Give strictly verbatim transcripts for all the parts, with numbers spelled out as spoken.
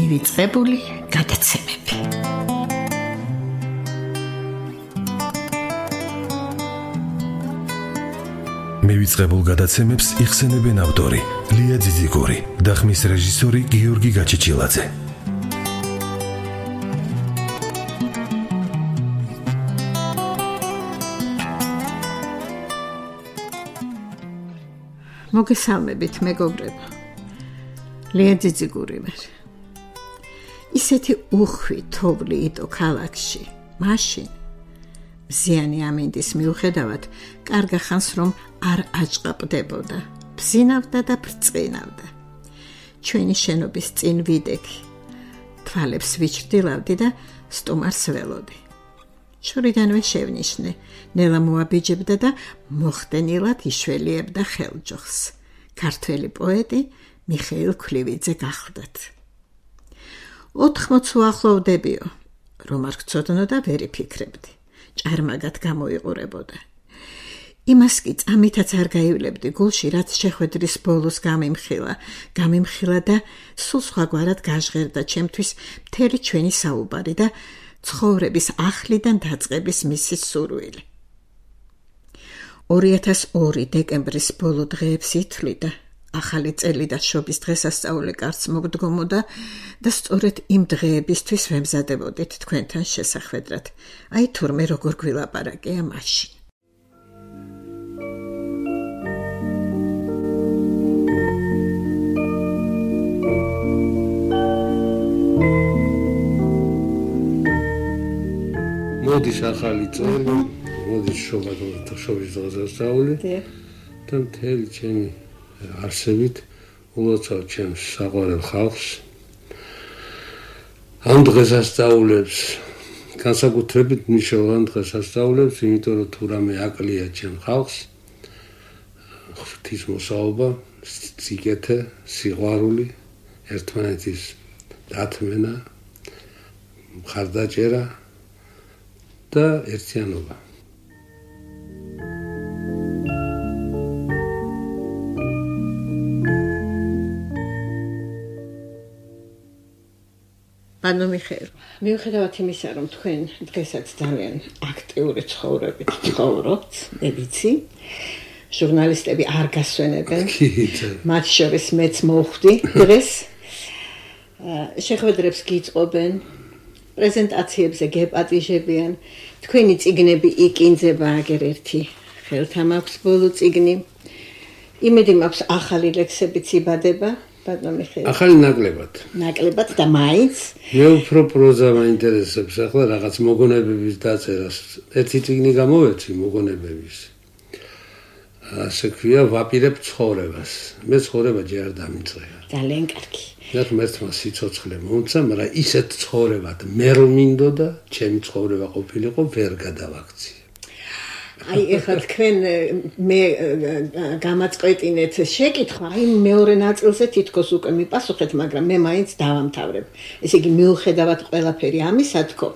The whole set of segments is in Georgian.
მივიწყებული გადაცემები. მივიწყებულ გადაცემებს იხსენებენ ავტორი ლია ძიძიგური და ხმის რეჟისორი გიორგი გაჩეჩილაძე. მოგესალმებით მეგობრებო. ლია ძიძიგური ვარ. ისეთი უხვი თოვლი იტო ქალაქში, მაშინ მზიანი ამინდის მიუხედავად კარგა ხანს რომ არ აჭყაპდებოდა, ბზინავდა და ბრწყინავდა. ჩვენი შენობის წინ ვიდექი, თვალებს ვიჩრდილავდი და სტუმარს ველოდი. შორიდანვე შევნიშნე, ნელა მოაბიჯებდა და მოხდენილად იშველიებდა ხელჯოხს. ქართველი პოეტი მიხეილ ქვლივიძე გახლდათ. ოთხმოც უახლოვდებიო, რომ არ გწოდნოდა ვერ იფიქრებდი. ჭარმაგად გამოიყურებოდა. იმას კი წამითაც არ გაივლებდი გულში, რაც შეხვედრის ბოლოს გამიმხილა, გამიმხილა და სულ სხვაგვარად გაჟღერდა ჩემთვის მთელი ჩვენი საუბარი და ცხოვრების ახლიდან დაწყების მისი სურვილი. ორი ათას ორი დეკემბრის ბოლო დღეებს ითვლიდა, ახალი წელი და შობის დღესასწაული კარს მოგდგომოდა და სწორედ იმ დღეებისთვის ვემზადებოდით თქვენთან შესახვედრად. აი თურმე როგორ გვილაპარაკია მაშინ. მოდის ახალი წელი, მოდის შობა და შობის დღესასწაული და მთელი ჩემი არსებით ულოცავ ჩემს საყვარელ ხალხს. ამ დღესასწაულებს განსაკუთრებით მნიშვნელოვან დღესასწაულებს, იმიტომ რომ თუ რამე აკლია ჩემ ხალხს, ღვთის მოსაობა, სიკეთე, სიყვარული, ერთმანეთის დათმენა, მხარდაჭერა და ერთიანობა. ანუ მიხეილ, მიუხედავად იმისა, რომ თქვენ დღესაც ძალიან აქტიური ცხოვრებით ცხოვრობთ, მე ვიცი, ჟურნალისტები არ გასვენებენ, მათ შორის მეც მოვხვდი დღეს, შეხვედრებს გიწყობენ, პრეზენტაციებზე გეპატიჟებიან, თქვენი წიგნები იკინძება აგერ ერთი ხელთა მაქვს ბოლო წიგნი, იმედი მაქვს ახალი ლექსებიც იბადება, ბატონო მიხეილ. ახალი ნაკლებად. ნაკლებად და მაინც. მე უფრო პროზა მაინტერესებს ახლა რაღაც მოგონებების დაწერას. ერთი წიგნი გამოვეცი მოგონებების. ასე ქვია, ვაპირებ ცხოვრებას. მე ცხოვრება ჯერ არ დამიწყება. ძალიან კარგი. მე ღმერთმა სიცოცხლე მომცა, მაგრამ ისეთ ცხოვრებად მე რომ მინდოდა, ჩემი ცხოვრება ყოფილიყო, ვერ გადავაქცია. აი ეხლა თქვენ მე გამაწყვეტინეთ შეკითხვა, აი მეორე ნაწილზე თითქოს უკვე მიპასუხეთ, მაგრამ მე მაინც დავამთავრებ. ესე იგი მიუხედავად ყველაფერი ამისა თქო,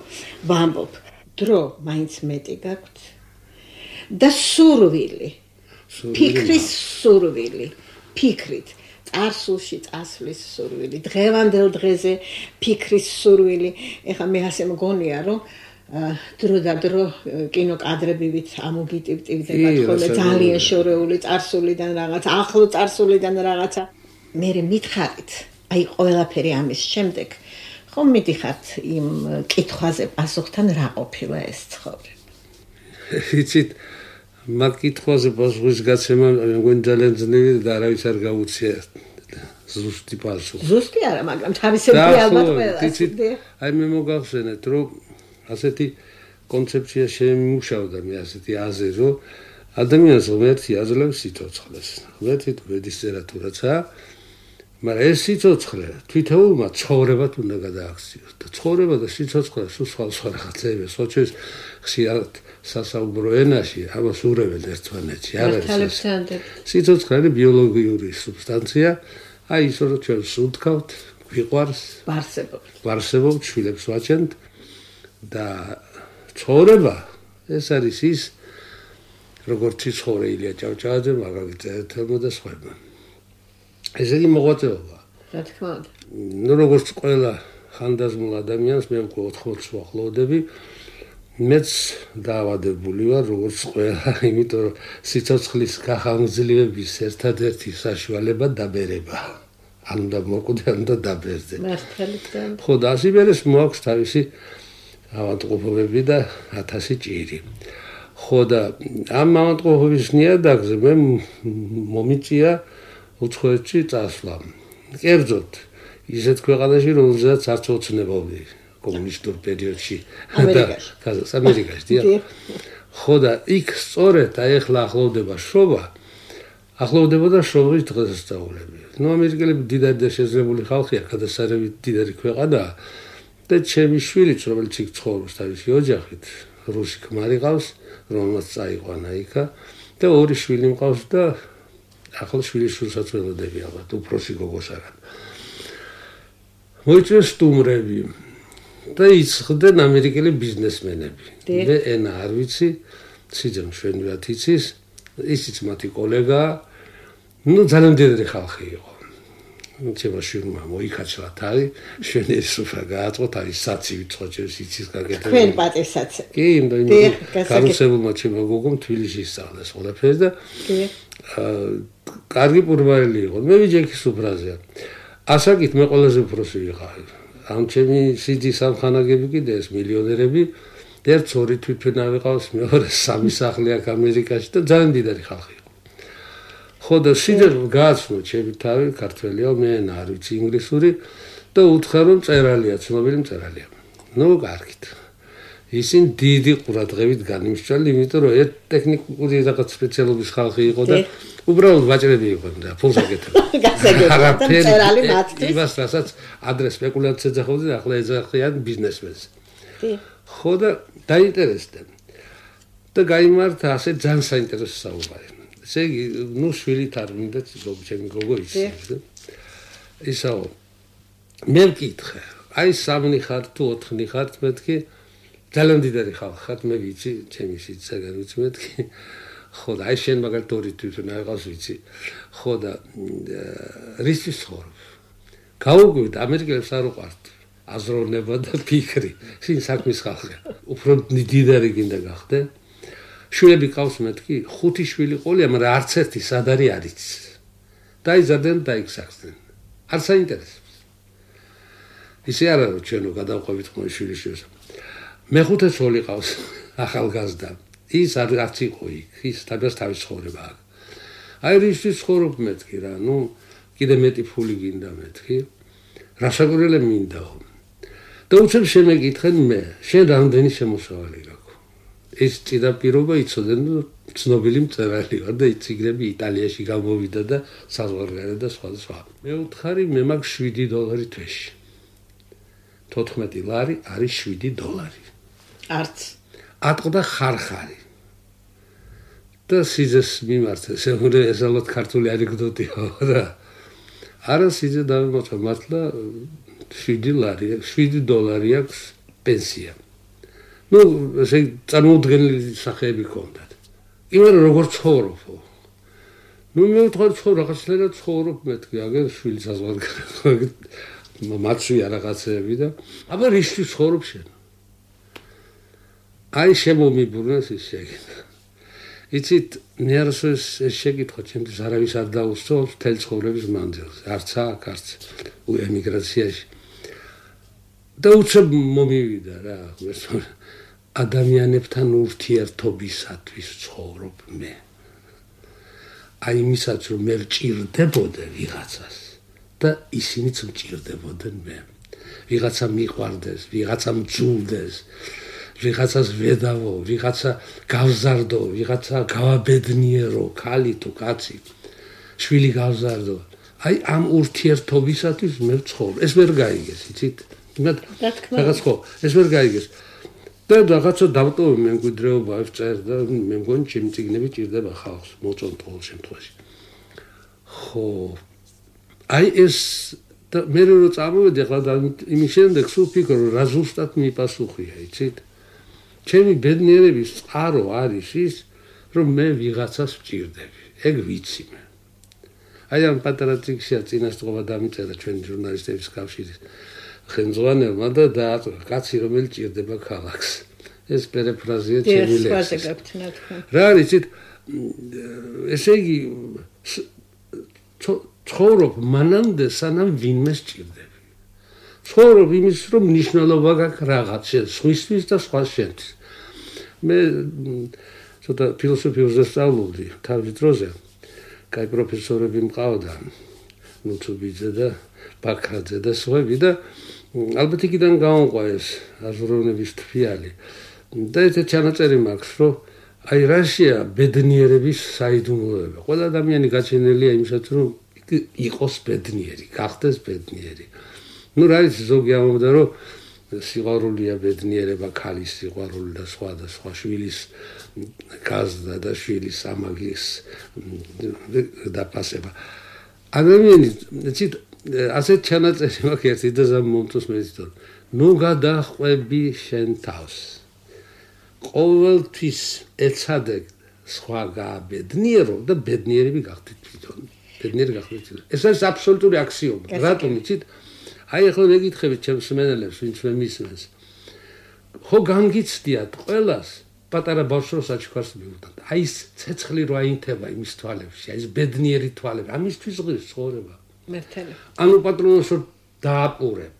ვამბობ, დრო მაინც მეტი გაქვთ და სურვილი, ფიქრის სურვილი, ფიქრით, წარსულში წასვლის სურვილი, დღევანდელ დღეზე ფიქრის სურვილი. ეხლა მე ასე მგონია, რომ დრო და დრო კინოკადრებივით ამოგიტივტივდება ხოლმე ძალიან შორეული წარსულიდან რაღაც, ახლო წარსულიდან რაღაცა. მე მითხარით, აი ყველაფერი ამის შემდეგ ხომ მიდიხართ იმ კითხვაზე პასუხთან რა ყოფილა ეს ცხოვრება. იცით, მაგ კითხვაზე პასუხის გაცემა მგონი ძალიან ძნელი და არავის არ გაუწია ზუსტი პასუხი. ზუსტი არა, მაგრამ თავისებური ალბათ ყველას. აი მე მოგახსენეთ, რომ ასეთი კონცეფცია შემიმუშავდა მე ასეთი აზრი, რომ ადამიანს ღმერთი აძლევს სიცოცხლეს. ღმერთი თუ ვედისწერა თუ რაცა, მაგრამ ეს სიცოცხლე თვითეულმა ცხოვრებად უნდა გადააქციოს და ცხოვრება და სიცოცხლე სულ სხვა სხვა რაღაცები. სოჩეს ხშირად სასაუბრო ენაში ამას ურევენ ერთმანეთში. არ არის სიცოცხლე არის ბიოლოგიური სუბსტანცია, აი ის რომ ჩვენ სუნთქავთ, გვიყვარს, ვარსებობთ. ვარსებობთ, შვილებს ვაჩენთ და ცხოვრება ეს არის ის, როგორც ცხოველია ჭავჭავაძე, მაგალითად, და სხვა. ესე იგი მოღვაწეობა. რა თქმა უნდა. ნუ როგორც ყველა ხანდაზმულ ადამიანს მე უკვე ოთხმოცს ვახლოვდები. მეც დაავადებული ვარ როგორც ყველა, იმიტომ რომ სიცოცხლის გახანგრძლივების ერთადერთი საშუალება დაბერება. ან უნდა მოკვდე, ან უნდა დაბერდე. მართალია. ხო, და ასიმერეს მოაქვს თავისი ავადმყოფობები და ათასი ჭირი. ხო და ამ ავადმყოფობის ნიადაგზე მე მომიწია უცხოეთში წასვლა. კერძოდ ისეთ ქვეყანაში, რომელზეც არც ოცნებობდი კომუნისტურ პერიოდში და ამერიკაში, დიახ. ხო და იქ სწორედ აი ახლა ახლოვდება შროვა, ახლოვდებოდა შროვის დღესასწაულები. ნუ ამერიკელები დიდარი და შეზრებული ხალხია, გადასარევით დიდარი ქვეყანაა და ჩემი შვილიც, რომელიც იქ ცხოვრობს თავისი ოჯახით, რუსი ქმარი ყავს, რომელმაც წაიყვანა იქა და ორი შვილი მყავს და ახლა შვილის შვილსაც ველოდები ალბათ, უფროსი გოგოს არა. მოიწვიეს სტუმრები და იცხდნენ ამერიკელი ბიზნესმენები. მე ენა არ ვიცი, სიძე მშვენივრად იცის, ისიც მათი კოლეგაა. ნუ ძალიან დიდარი ხალხი იყო. ჩემო შვილმა მოიქაჩლა თავი, შვენიერი სუფრა გააწყო, თავის საცივით წოჭებს იცის გაკეთება. თქვენ პატერსაცი. კი, იმდენ გარუსებულმა ჩემო გოგომ თბილისში ისწავლეს ყველაფერს და კარგი პურვაელი იყო. მე ვიჯექი სუფრაზე. ასაკით მე ყველაზე უფროსი ვიყავი. ამ ჩემი სიძის ამხანაგები კიდე ეს მილიონერები, ერთ ორი თვითმფრინავი ყავს, მეორე სამი სახლი აქვს ამერიკაში და ძალიან დიდარი ხალხი. ხო და სიძემ გააცნო ჩემი თავი, ქართველია, მე არ ვიცი ინგლისური და უთხრა რომ წერალია, ცნობილი მწერალია. ნუ კარგით. ისინი დიდი ყურადღებით განიმსჯვალ, იმიტომ რომ ერთ ტექნიკური რაღაც სპეციალობის ხალხი იყო და უბრალოდ ვაჭრები იყვნენ და ფულს აკეთებდნენ. გასაგებია და წერალი მათთვის. იმას რასაც ადრეს სპეკულაციას ეძახოდნენ, ახლა ეძახიან ბიზნესმენს. ხო და დაინტერესდნენ. და გაიმართა ასე ძალიან საინტერესო საუბარი. ესე იგი, ნუ შვილით არ მინდა ჩემი გოგო იცის. ისაო, მე ვკითხე, აი სამნი ხარ თუ ოთხნი ხარ, მეთქი, ძალიან დიდარი ხალხი ხარ, მე ვიცი, ჩემი სიცაგან ვიცი მეთქი. ხო და აი შენ მაგალითად ორი თვითონ აღავს ვიცი. ხო და რისთვის ცხოვრობ? გაუგვივით, ამერიკელებს არ უყვართ აზროვნება და ფიქრი. შენ საქმის ხალხია. უფრო დიდარი გინდა გახდე. შვილები ყავს მეთქი, ხუთი შვილი ყოლია, მაგრამ არც ერთი სად არის არ იცის. დაიზარდნენ და იქსახსდნენ. არ საინტერესებს. ისე არა რომ ჩვენო გადავყვებით ხომ შვილის შვილს. მეხუთე ცოლი ყავს ახალგაზრდა. ის არ არც იყო იქ, ის თავის თავის ცხოვრება აქვს. აი რისთვის ცხოვრობ მეთქი რა, ნუ კიდე მეტი ფული გინდა მეთქი. რა შეგურელე მინდაო. და უცებ შემეკითხენ მე, შენ რამდენი შემოსავალი გაქვს? ეს წინაპირობა იცოდნენ, რომ ცნობილი მწერალი ვარ და ციგნები იტალიაში გამოვიდა და საზღვარგარეთ და სხვა და სხვა. მე ვთხარი, მე მაქვს შვიდი დოლარი თვეში. თოთხმეტი ლარი არის შვიდი დოლარი. არც. ატყდა ხარხარი. და სიძეს მიმართა, შეგვიძლია ესალოთ ქართული ანეკდოტია რა. არა სიძე დავიმოწვა, მართლა შვიდი ლარი, შვიდი დოლარი აქვს პენსია. ნუ ესე წარმოუდგენელი სახეები ჰქონდათ. იმან როგორ ცხოვრობო? ნუ მე ვთქვი ცხოვრ რაღაცნაირად ცხოვრობ მეთქი, აგერ შვილი საზღვარგარეთ. მაცვია რაღაცეები და აბა რისთვის ცხოვრობ შენ? აი შემომიბრუნეს ის შეკითხვა. იცით, მე არასოდეს ეს შეკითხვა ჩემთვის არავის არ დაუსწრობს მთელ ცხოვრების მანძილზე. არც აქ, არც ემიგრაციაში. და უცებ მომივიდა რა, ადამიანებთან ურთიერთობისათვის ცხოვრობ მე. აი იმისაც რომ მე ვჭირდებოდე ვიღაცას და ისინიც მჭირდებოდნენ მე. ვიღაცა მიყვარდეს, ვიღაცა მძულდეს, ვიღაცას ვედავო, ვიღაცა გავზარდო, ვიღაცა გავაბედნიერო, ქალი თუ კაცი, შვილი გავზარდო. აი ამ ურთიერთობისათვის მე ვცხოვრობ. ეს ვერ გაიგეს, იცით? რაღაც ხო, ეს ვერ გაიგეს. და რაღაცა დავტოვე მემკვიდრეობა ვწერ და მე მგონი ჩემი წიგნები ჭირდება ხალხს, მოწონთ ყოველ შემთხვევაში. ხო. აი ეს და მე რო წამოვედი ახლა და იმის შემდეგ სულ ფიქრობ, რა ზუსტად მიპასუხია, იცით? ჩემი ბედნიერების წყარო არის ის, რომ მე ვიღაცას ვჭირდები. ეგ ვიცი მე. აი ამ პატარა წიგნშია წინასწრობა დამიწერა ჩვენი ჟურნალისტების კავშირის ხელმძღვანელმა და დააწვა კაცი რომელი ჭირდება ქალაქს. ეს პერიფრაზია ჩემი ლექსის. რა არის იცით ესე იგი ცხოვრობ მანამდე სანამ ვინმე სჭირდები. ცხოვრობ იმის რომ მნიშვნელობა გაქვს რაღაც შენ სხვისთვის და სხვა შენთვის. მე ცოტა ფილოსოფიურზე სწავლობდი თავის დროზე. კაი პროფესორები მყავდა ნუცუბიძე და ბაქრაძე და სხვები და ალბათ იქიდან გამომყვა ეს აზროვნების თვიალი. და ეს ჩანაწერი მაქვს რომ აი რაშია ბედნიერების საიდუმლოება. ყველა ადამიანი გაჩენილია იმისაც რომ იყოს ბედნიერი, გახდეს ბედნიერი. ნუ რა არის ზოგი ამბობდა რომ სიყვარულია ბედნიერება, ქალის სიყვარული და სხვა და სხვა შვილის გაზრდა და შვილის ამაგის დაფასება. ადამიანი ცით ასეთ ჩანაწერი მაქვს ერთი და ზამ მომწონს მე თვითონ. ნუ გადახვები შენ თავს. ყოველთვის ეცადე სხვა გააბედნიერო და ბედნიერები გახდით თვითონ. ბედნიერი გახდით. ეს არის აბსოლუტური აქსიომა. რატომ იცით? აი ახლა მეკითხებით ჩემს მენელებს, ვინც მე მისმენს. ხო განგიცდიათ ყველას პატარა ბავშვს საჩუქარს მიუტანთ. აი ეს ცეცხლი რო აინთება იმის თვალებში, აი ეს ბედნიერი თვალები, ამისთვის ღირს ცხოვრება. მერტელი. ანუ პატრონოს რო დააპურებ.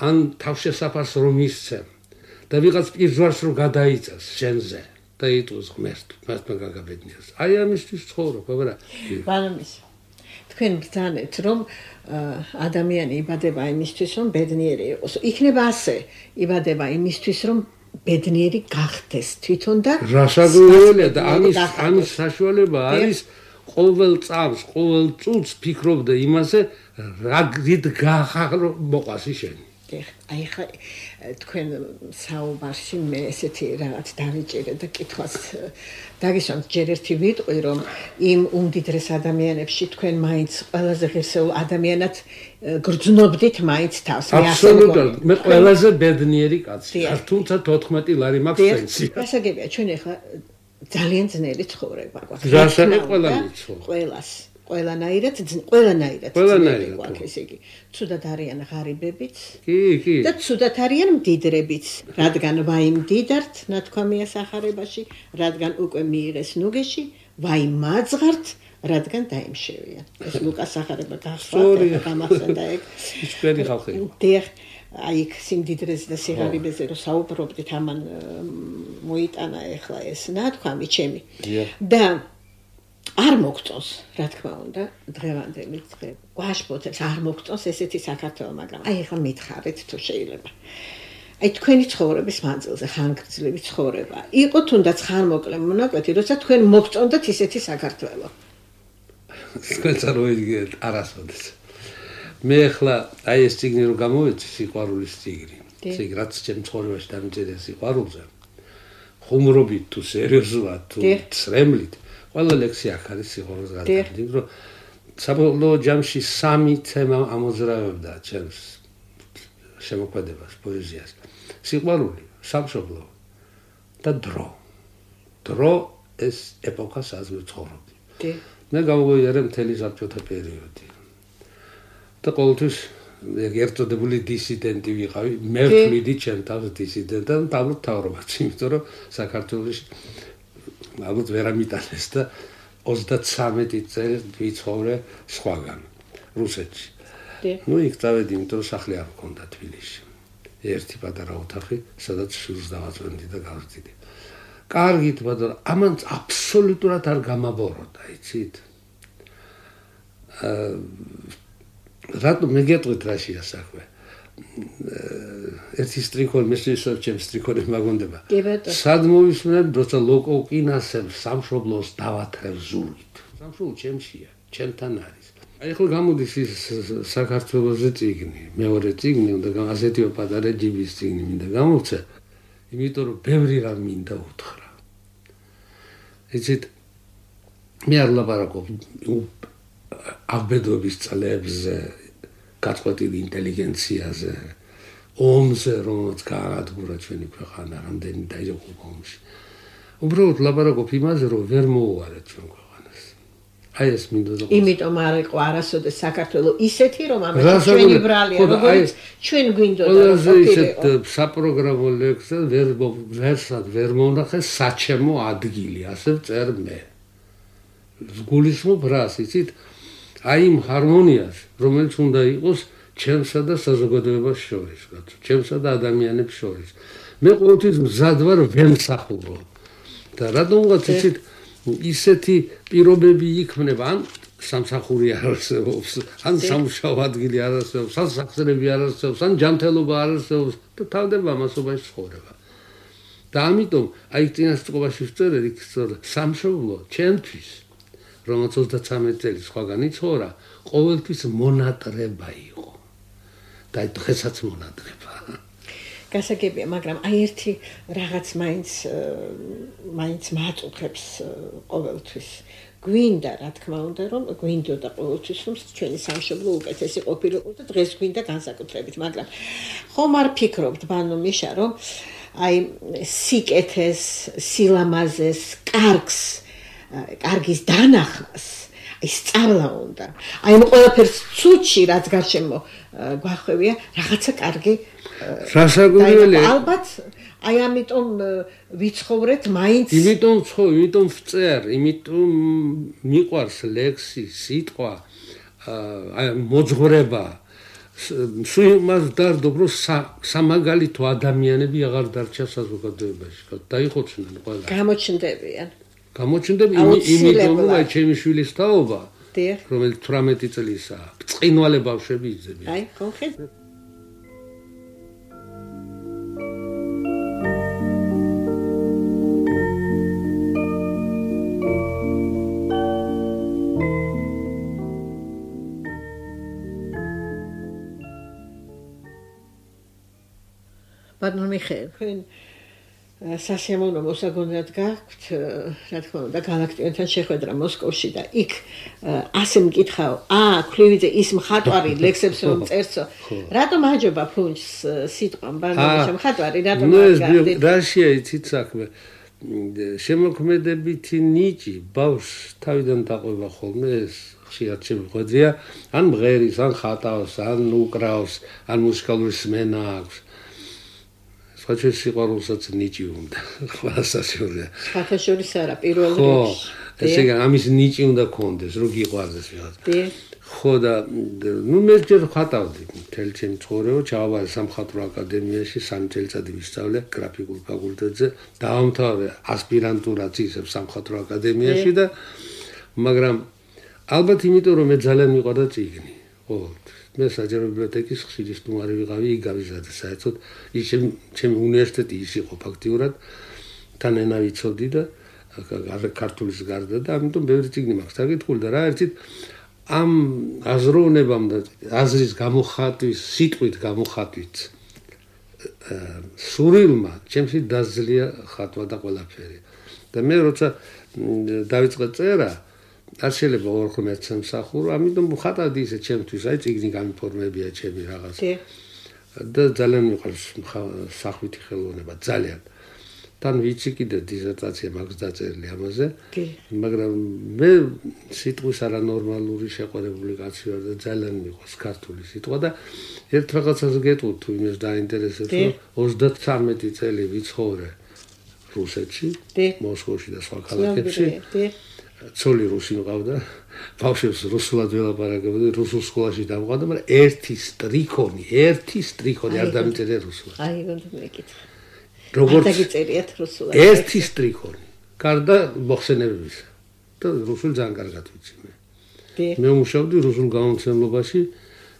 ან თავშესაფარს რო მისცემ და ვიღაც პირჯვარს რო გადაიწას შენზე და იტყვის ღმერთს, მართლა გაგაბედნიერს. აი ამისთვის ცხოვრობ, აბა. ბანამის. თქვენ ბრძანეთ რომ ადამიანი იბადება იმისთვის რომ ბედნიერი იყოს. იქნება ასე, იბადება იმისთვის რომ ბედნიერი გახდეს თვითონ და რასაკვირველია და ამის ამის საშუალება არის ყოველ წამს, ყოველ წუთს ფიქრობდა იმაზე, რა გრით გახარო მოყვასი შენ. აი ხა თქვენ საუბარში მე ესეთი რაღაც დავიჭირე და კითხვას დაგისვამთ ჯერ ერთი ვიტყვი რომ იმ უმდიდრეს ადამიანებში თქვენ მაინც ყველაზე ღირსეულ ადამიანად გრძნობდით მაინც თავს. აბსოლუტურად მე ყველაზე ბედნიერი კაცი. თუმცა თოთხმეტი ლარი მაქვს პენსია. გასაგებია ჩვენ ახლა ძალიან ძნელი ცხოვრება გვაქვს. გასაგებ ყველანი ცხოვრობს. ყველას ყველანაირად ყველანაირად ყველანაირად გვაქვს ესე იგი. ცუდად არიან ღარიბებიც. კი, კი. და ცუდად არიან მდიდრებიც, რადგან ვაი მდიდართ ნათქვამია სახარებაში, რადგან უკვე მიიღეს ნუგეში, ვაი მაძღართ, რადგან დაიმშევიან. ეს ლუკას სახარება გახსოვთ, გამახსენდა ეგ. ისკვერი ხალხი. დიახ, აი იქ სიმდიდრეზე და სიღარიბეზე რო საუბრობდით, ამან მოიტანა ახლა ეს ნათქვამი ჩემი. და არ მოგწონს, რა თქმა უნდა, დღევანდელი დღე. გვაშფოთებს არ მოგწონს ესეთი საქართველო, მაგრამ აი ახლა მითხარით თუ შეიძლება. აი თქვენი ცხოვრების მანძილზე ხანგრძლივი ცხოვრება. იყო თუნდაც ხანმოკლე მონაკვეთი, როცა თქვენ მოგწონდათ ისეთი საქართველო. თქვენ წარმოიდგინეთ არასოდეს. მე ახლა აი ეს ციგნი რო გამოვეცი, სიყვარულის ციგნი. ციგნი რაც ჩემ ცხოვრებაში დამიწერია სიყვარულზე. ხუმრობით თუ სერიოზულად თუ წრემლით ყველა ლექსი აქ არის სიყვარულს გადაგდით, რომ საბოლოო ჯამში სამი თემა ამოძრავებდა ჩემს შემოქმედებას, პოეზიას. სიყვარული, სამშობლო და დრო. დრო ეს ეპოქა საზღვი ცხოვრობდი. მე გავუღიარე მთელი საბჭოთა პერიოდი. და ყოველთვის ერთოდებული დისიდენტი ვიყავი, მე ვთვლიდი ჩემ თავს დისიდენტად და დაბლობ თავრობაც, იმიტომ რომ საქართველოში ალბათ ვერ ამიტანეს და ოცდათსამეტი წელი ვიცხოვრე სხვაგან, რუსეთში. ნუ იქ წავედი, იმიტომ რომ სახლი არ მქონდა თბილისში. ერთი პატარა ოთახი, სადაც შვილს დავაწვენდი და გავზრდიდი. კარგით, მაგრამ ამან აბსოლუტურად არ გამაბოროტა, იცით? რატომ მე გეტყვით რაშია საქმე? ერთი სტრიქონი მესვისო ჩემ სტრიქონი მაგონდება. სად მოვისმენთ, როცა ლოკოკინასებს სამშობლოს დავათრევ ზურგით. სამშობლო ჩემშია, ჩემთან არის. აი ხო გამოდის ის საქართველოზე წიგნი, მეორე წიგნი, უნდა ასეთივე პატარა ჯიბის წიგნი მინდა გამოვცე, იმიტომ რომ ბევრი რამ მინდა უთხრა. იცით, მე არ ლაპარაკობ აღბედობის წლებზე, გაწყვეტილი ინტელიგენციაზე, ომზე, რომელიც გაანადგურა ჩვენი ქვეყანა, რამდენი დაიღუპა ომში. უბრალოდ ლაპარაკობ იმაზე, რომ ვერ მოუვარეთ ჩვენ ქვეყანას. აი ეს მინდა და იმიტომ არ იყო არასოდეს საქართველოს ისეთი რომ ამას ჩვენი ბრალია როგორც ჩვენ გვინდოდა რომ ყოფილიყო საპროგრამო ლექსზე ვერ ვერსად ვერ მონახე საჩემო ადგილი ასე წერ მე გულისხმობ რას იცით აი იმ ჰარმონიას რომელიც უნდა იყოს ჩემსა და საზოგადოებას შორის კაცო ჩემსა და ადამიანებს შორის მე ყოველთვის მზად ვარ ვემსახურო და რადგანაც იცით ისეთი პირობები იქმნება ან სამსახური არ არსებობს ან სამუშაო ადგილი არ არსებობს ან სახსრები არ არსებობს ან ჯანმრთელობა არ არსებობს და თავდება მასობაში ცხოვრება და ამიტომ აი წინასწრობაში ვწერე იქ სამშობლო ჩემთვის რომელიც ოცდათრამეტი წელი სხვაგან იცხოვრა ყოველთვის მონატრება იყო და დღესაც მონატრება გასაგებია მაგრამ აი ერთი რაღაც მაინც მაინც მაწუხებს ყოველთვის გვინდა რა თქმა უნდა რომ გვინდოდა ყოველთვის რომ ჩვენი სამშობლო უკეთესი ყოფილიყო და დღეს გვინდა განსაკუთრებით მაგრამ ხომ არ ფიქრობთ ბანო მიშა რომ აი სიკეთეს სილამაზეს კარგს კარგის დანახმას აი სწავლა უნდა აი ამ ყველაფერს ცუჩი რაც გარშემო გვახვევია რაღაცა კარგი რასაკვირველია ალბათ აი ამიტომ ვიცხოვრეთ მაინც იმიტომ ხო იმიტომ ვწერ იმიტომ მიყვარს ლექსი სიტყვა აი მოძღვრება სულ მას დარდობ რომ სამაგალითო ადამიანები აღარ დარჩა საზოგადოებაში დაიხოცნენ ყველა გამოჩნდებიან გამოჩნდები იმიტომ რომ აი ჩემი შვილის თაობა რომელიც თვრამეტი წლისაა ბრწყინვალე ბავშვები იძებიან აი კონკრეტ ბატონო მიხეილ თქვენ სასიამოვნო მოსაგონად გაქვთ რა თქმა უნდა გალაქტიონთან შეხვედრა მოსკოვში და იქ ასე მკითხავ აა ქლივიძე ის მხატვარი ლექსებს რომ წერცო რატომ აჯობა ფუნჩს სიტყვამ ბარნაბაშა მხატვარი რატომ აღგარდით რაშია იცით საქმე შემოქმედებითი ნიჭი ბავშვს თავიდან დაყვება ხოლმე ეს ხშირად შემოხვედრია ან მღერის ან ხატავს ან უკრავს ან მუსიკალური სმენა აქვს საჩეს სიყვარულსაც ნიჭი უნდა ყველასაშორია საერთაშორის არა პირველ რიგში ესე იგი ამის ნიჭი უნდა კონდეს რომ გიყვარდეს ვიღაცა ხო და ნუ მე ჯერ ხატავდი მთელი ჩემი ცხოვრება ჩავაბარე სამხატვრო აკადემიაში სამი წელიწადი ვისწავლე გრაფიკულ ფაკულტეტზე დავამთავრე ასპირანტურაც ისევ სამხატვრო აკადემიაში და მაგრამ ალბათ იმიტომ რომ მე ძალიან მიყვარდა წიგნი ხო მე საჯარო ბიბლიოთეკის ხშირი სტუმარი ვიყავი იქ გავიზარდე საერთოდ ის ჩემი უნივერსიტეტი ის იყო ფაქტიურად თან ენა ვიცოდი და ქართულის გარდა და ამიტომ ბევრი წიგნი მაქვს დაკითხული და რა ერთით ამ აზროვნებამ და აზრის გამოხატვის სიტყვით გამოხატვით სურვილმა ჩემში დაძლია ხატვა და ყველაფერი და მე როცა დავიწყე წერა არ შეიძლება ორ ღმერთს ემსახურო, ამიტომ ხატავდი ისე ჩემთვის, აი წიგნი გამიფორმებია ჩემი რაღაც. და ძალიან მიყვარს სახვითი ხელოვნება, ძალიან. თან ვიცი კიდე დისერტაცია მაქვს დაწერილი ამაზე, მაგრამ მე სიტყვის არანორმალური შეყვარებული კაცი ვარ და ძალიან მიყვარს ქართული სიტყვა და ერთ რაღაცას გეტყვით თუ იმას დაინტერესებს, რომ ოცდათრამეტი წელი ვიცხოვრე რუსეთში, მოსკოვში და სხვა ქალაქებში. ცოლი რუსი მყავდა, ბავშვებს რუსულად ველაპარაკებოდი, რუსულ სკოლაში დავყავდა, მაგრამ ერთი სტრიქონი, ერთი სტრიქონი არ დამიწერე რუსულად. აი, უნდა მეკითხა. როგორც დაგიწერიათ რუსულად. ერთი სტრიქონი. გარდა მოხსენებების. და რუსული ძალიან კარგად ვიცი მე. მე მუშაობდი რუსულ გამომცემლობაში,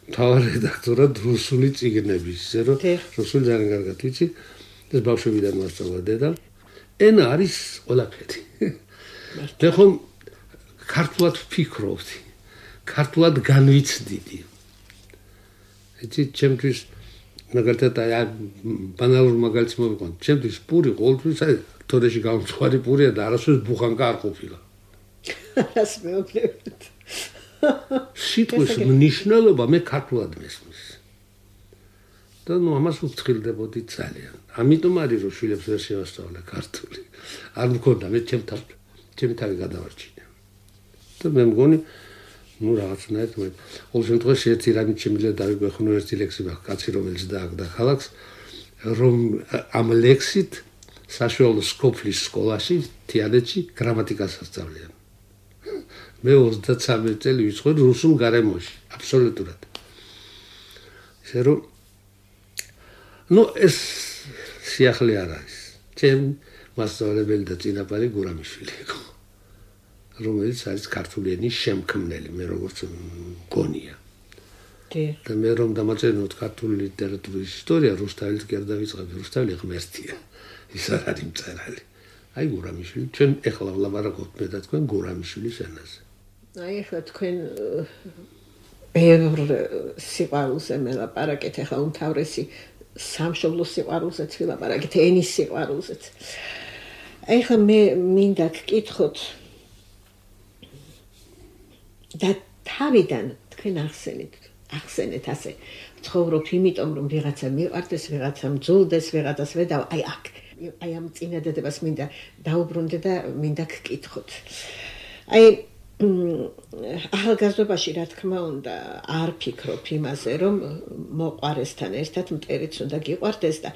მთავარ რედაქტორად რუსული წიგნების, ისე რომ რუსული ძალიან კარგად ვიცი. ეს ბავშვებიდან მასწავლა დედა. ენა არის ყველაფერი. მე ხომ ქართულად ვფიქრობდი, ქართულად განვიცდიდი. იცით, ჩემთვის მაგალითად აი ბანალურ მაგალითს მოვიყვან. ჩემთვის პური ყოველთვის აი თორეში გამწვარი პურია და არასოდეს ბუხანკა არ ყოფილა. რას მეუბნებით? სიტყვის მნიშვნელობა მე ქართულად მესმის. და ნუ ამას ვფრთხილდებოდი ძალიან. ამიტომ არის რომ შვილებს ვერ შევასწავლე ქართული. არ მქონდა მე ჩემთან ჩემი თავი გადავარჩინე. და და მე მგონი ну რაღაცნაირად მე ყოველ შემთხვევაში ერთი რამით შემიძლია დავიგვეხნო ერთი ლექსი მაქვს კაცი რომელიც დააგდა ქალაქს რომ ამ ლექსით საშუალო სკოფლის სკოლაში თიანეთში გრამატიკას ასწავლიან მე ოცდაცამეტ წელი ვიცხოვდი რუსულ გარემოში აბსოლუტურად ისე რომ ну ეს სიახლე არ არის ჩემ მასწავლებელი და წინაპარი გურამიშვილი იყო რომელიც არის ქართული ენის შემქმნელი მე როგორც მგონია და მე რომ დამაწერინოთ ქართული ლიტერატურის ისტორია რუსთაველის გერდა ვიწყებ რუსთაველი ღმერთია ის არ არის მწერალი აი გურამიშვილი ჩვენ ეხლა ვლაპარაკობთ მე და თქვენ გურამიშვილის ენაზე აი ეხლა თქვენ ბევრ სიყვარულზე მელაპარაკეთ ეხლა უმთავრესი სამშობლოს სიყვარულზეც ვილაპარაკეთ ენის სიყვარულზეც აი ეხლა მე მინდა გკითხოთ და თავიდან თქვენ ახსენეთ ახსენეთ ასე ცხოვრობ იმიტომ რომ ვიღაცა მიყვარდეს ვიღაცა მძულდეს ვიღაცას ვედავ აი აქ აი ამ წინადადებას მინდა დაუბრუნდე და მინდა გკითხოთ აი ახალგაზრდობაში რა თქმა უნდა არ ფიქრობ იმაზე რომ მოყვარესთან ერთად მტერიც უნდა გიყვარდეს და